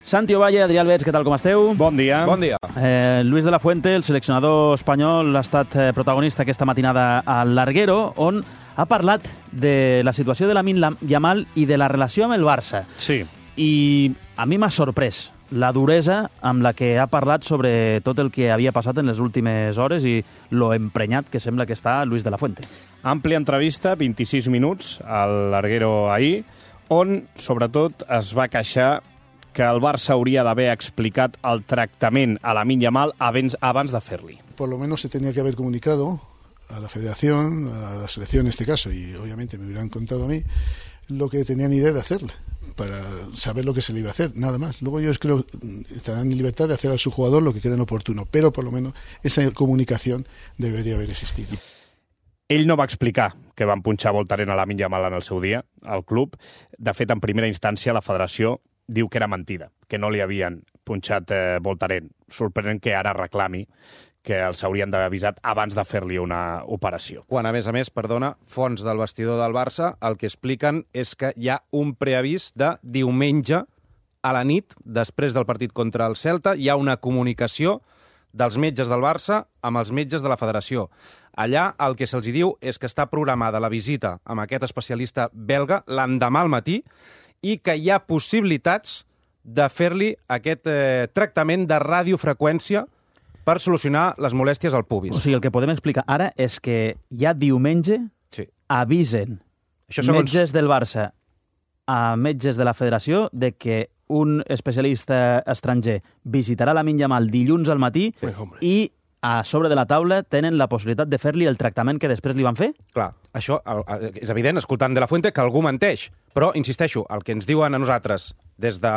Santi Ovalle, Adrià Albets, què tal, com esteu? Bon dia. Bon dia. Luis de la Fuente, el seleccionador espanyol, ha estat protagonista aquesta matinada al Larguero, on ha parlat de la situació de Lamine Yamal i de la relació amb el Barça. Sí. I a mi m'ha sorprès la duresa amb la que ha parlat sobre tot el que havia passat en les últimes hores i lo emprenyat que sembla que està Luis de la Fuente. Àmplia entrevista, 26 minuts, al Larguero ahir, on, sobretot, es va queixar que el Barça hauria d'haver explicat el tractament a Lamine Yamal abans de fer-li. Por lo menos se tenía que haber comunicado a la federación, a la selección en este caso, y obviamente me hubieran contado a mí lo que tenían idea de hacerle, para saber lo que se le iba a hacer, nada más. Luego ellos creo que estarán en libertad de hacer a su jugador lo que crean oportuno, pero por lo menos esa comunicación debería haber existido. Ell no va explicar que van punxar Voltaren a Lamine Yamal en el seu dia, al club. De fet, en primera instància, la federació diu que era mentida, que no li havien punxat Voltaren. Sorprenent que ara reclami que els haurien d'haver avisat abans de fer-li una operació. Quan, a més, perdona, fonts del vestidor del Barça el que expliquen és que hi ha un preavís de diumenge a la nit, després del partit contra el Celta, hi ha una comunicació dels metges del Barça amb els metges de la federació. Allà el que se'ls diu és que està programada la visita amb aquest especialista belga l'endemà al matí i que hi ha possibilitats de fer-li aquest tractament de radiofreqüència per solucionar les molèsties al pubis. O sigui, el que podem explicar ara és que ja diumenge avisen metges del Barça a metges de la federació de que un especialista estranger visitarà Lamine Yamal dilluns al matí i a sobre de la taula tenen la possibilitat de fer-li el tractament que després li van fer? Clar, això és evident, escoltant de la Fuente, que algú menteix. Però, insisteixo, el que ens diuen a nosaltres des de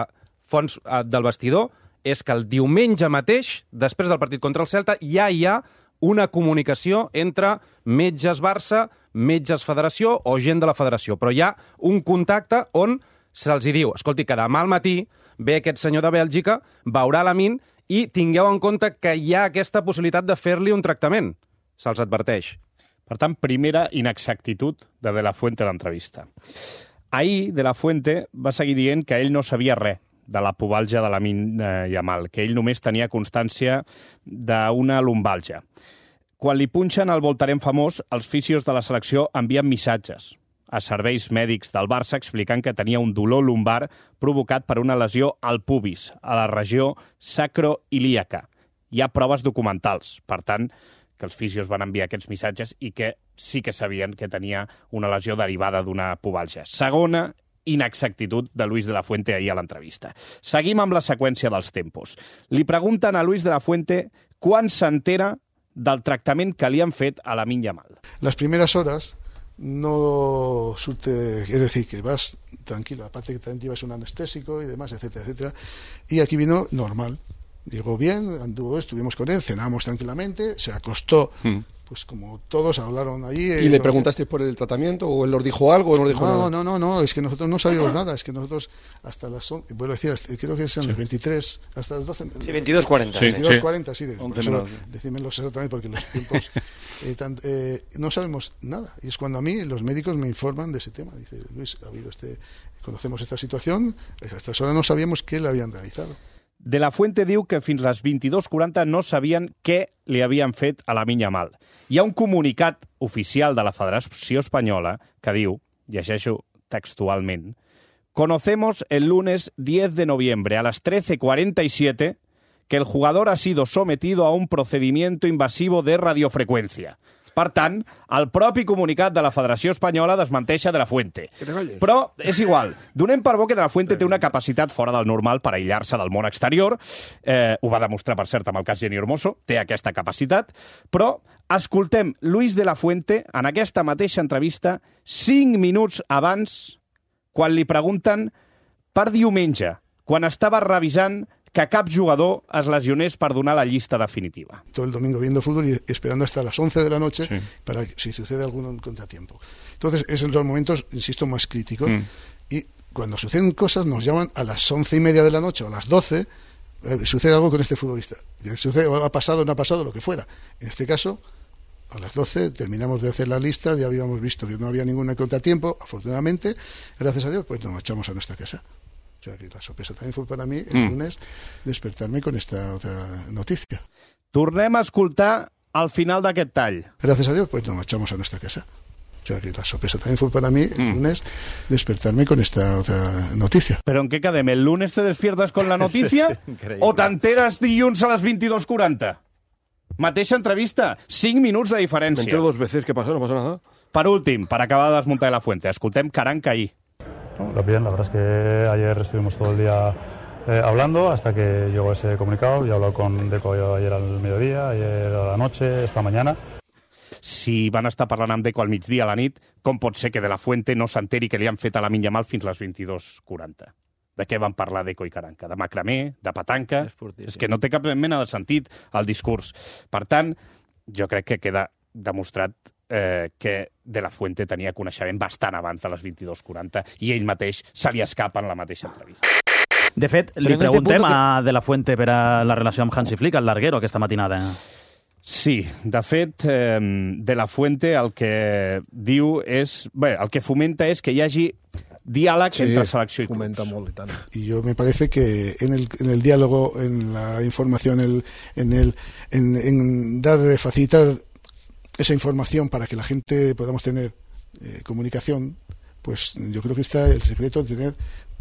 fons del vestidor és que el diumenge mateix, després del partit contra el Celta, ja hi ha una comunicació entre metges Barça, metges Federació o gent de la Federació. Però hi ha un contacte on se'ls diu, escolti, que demà al matí ve aquest senyor de Bèlgica, veurà Lamine i tingueu en compte que hi ha aquesta possibilitat de fer-li un tractament. Se'ls adverteix. Per tant, primera inexactitud de la Fuente a l'entrevista. Ahir, de la Fuente va seguir dient que ell no sabia res de la pubalgia de Lamine Yamal, que ell només tenia constància d'una lumbalgia. Quan li punxen el Voltaren famós, els fisios de la selecció envien missatges a serveis mèdics del Barça explicant que tenia un dolor lumbar provocat per una lesió al pubis, a la regió sacroilíaca. Hi ha proves documentals, per tant, que els fisios van enviar aquests missatges i que sí que sabien que tenia una lesió derivada d'una pubalgia. Segona inexactitud de Luis de la Fuente ahir a l'entrevista. Seguim amb la seqüència dels tempos. Li pregunten a Luis de la Fuente quan s'entera del tractament que li han fet a Lamine Yamal. Las primeras horas no surte, es decir, que vas tranquilo, aparte que también llevas un anestésico y demás, etcétera, etcétera, y aquí vino normal, llegó bien, anduvo, estuvimos con él, cenamos tranquilamente, se acostó, pues como todos hablaron allí. ¿Y le preguntaste por el tratamiento o él nos dijo algo o no nos dijo nada? No, es que nosotros no sabíamos nada, es que nosotros hasta las, vuelvo a decir, creo que sean los 23, hasta las 12. Sí, 22:40. 22:40, sí, decímelos exactamente porque los tiempos no sabemos nada. Y es cuando a mí los médicos me informan de ese tema. Dice, Luis, ha habido conocemos esta situación, hasta esa hora no sabíamos qué le habían realizado. De la Fuente diu que fins les 22:40 no sabien què li havien fet a Lamine Yamal. Hi ha un comunicat oficial de la Federació Espanyola que diu, llegeixo textualment, «Conocemos el lunes 10 de noviembre a las 13:47 que el jugador ha sido sometido a un procedimiento invasivo de radiofreqüència». Per tant, el propi comunicat de la Federació Espanyola desmenteixa de la Fuente. Però és igual. Donem per bo que de la Fuente té una capacitat fora del normal per aïllar-se del món exterior. Ho va demostrar, per cert, amb el cas Jenny Hermoso. Té aquesta capacitat. Però escoltem Luis de la Fuente en aquesta mateixa entrevista 5 minuts abans, quan li pregunten per diumenge, quan estava revisant que cap jugador es lesionés per donar la llista definitiva. Todo el domingo viendo fútbol y esperando hasta las 11 de la noche para que si sucede algún contratiempo. Entonces, es en los momentos, insisto, más críticos. Y cuando suceden cosas, nos llaman a las 11:30 de la noche o a las 12, sucede algo con este futbolista. Sucede, ha pasado, no ha pasado, lo que fuera. En este caso, a las 12 terminamos de hacer la lista, ya habíamos visto que no había ningún contratiempo, afortunadamente, gracias a Dios, pues nos marchamos a nuestra casa. O sea, que la sorpresa también fue para mí el lunes despertarme con esta otra noticia. Tornem a escoltar al final d'aquest tall. Gracias a Dios, pues nos marchamos a nuestra casa. O sea, que la sorpresa también fue para mí el lunes despertarme con esta otra noticia. ¿Pero en qué cadem? ¿El lunes te despiertas con la noticia o t'enteres dilluns a les 22:40? Mateixa entrevista, 5 minuts de diferència. Me entero 2 veces, ¿qué pasa? No pasa nada. Per últim, per acabar de desmuntar de la fuente, escoltem Caranca ahí. Bien, la verdad es que ayer estuvimos todo el día hablando hasta que llegó ese comunicado. Yo he hablado con Deco ayer al mediodía, ayer a la noche, esta mañana. Si van estar parlant amb Deco al migdia a la nit, com pot ser que de la Fuente no s'enteri que li han fet a Lamine Yamal fins les 22:40? De què van parlar Deco i Caranca? De macramé? De petanca? És que no té cap mena de sentit el discurs. Per tant, jo crec que queda demostrat que De la Fuente tenia coneixement bastant abans de les 22:40 i ell mateix se li escapa en la mateixa entrevista. De fet, li preguntem a De la Fuente per a la relació amb Hansi Flick, el larguero, aquesta matinada. Sí, de fet, De la Fuente el que diu és... Bé, el que fomenta és que hi hagi diàleg entre selecció i clubs. Fomenta molt i tant. Y yo me parece que en el diálogo, en la información, en facilitar esa información para que la gente podamos tener comunicación, pues yo creo que está el secreto de tener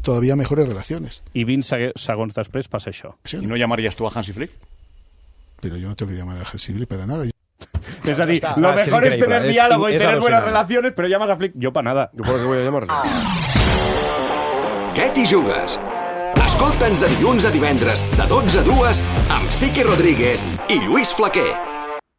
todavía mejores relaciones. I 20 segons després passa això. ¿Y no llamarías tú a Hansi Flick? Pero yo no tengo que llamar a Hansi Flick para nada. Es decir, lo mejor es tener diálogo y tener buenas relaciones, pero llamas a Flick, yo para nada. ¿Yo por qué voy a llamarle? Què t'hi jugues? Escolta'ns de dilluns a divendres, de 12 a 2, amb Siqui Rodríguez i Lluís Flaquer.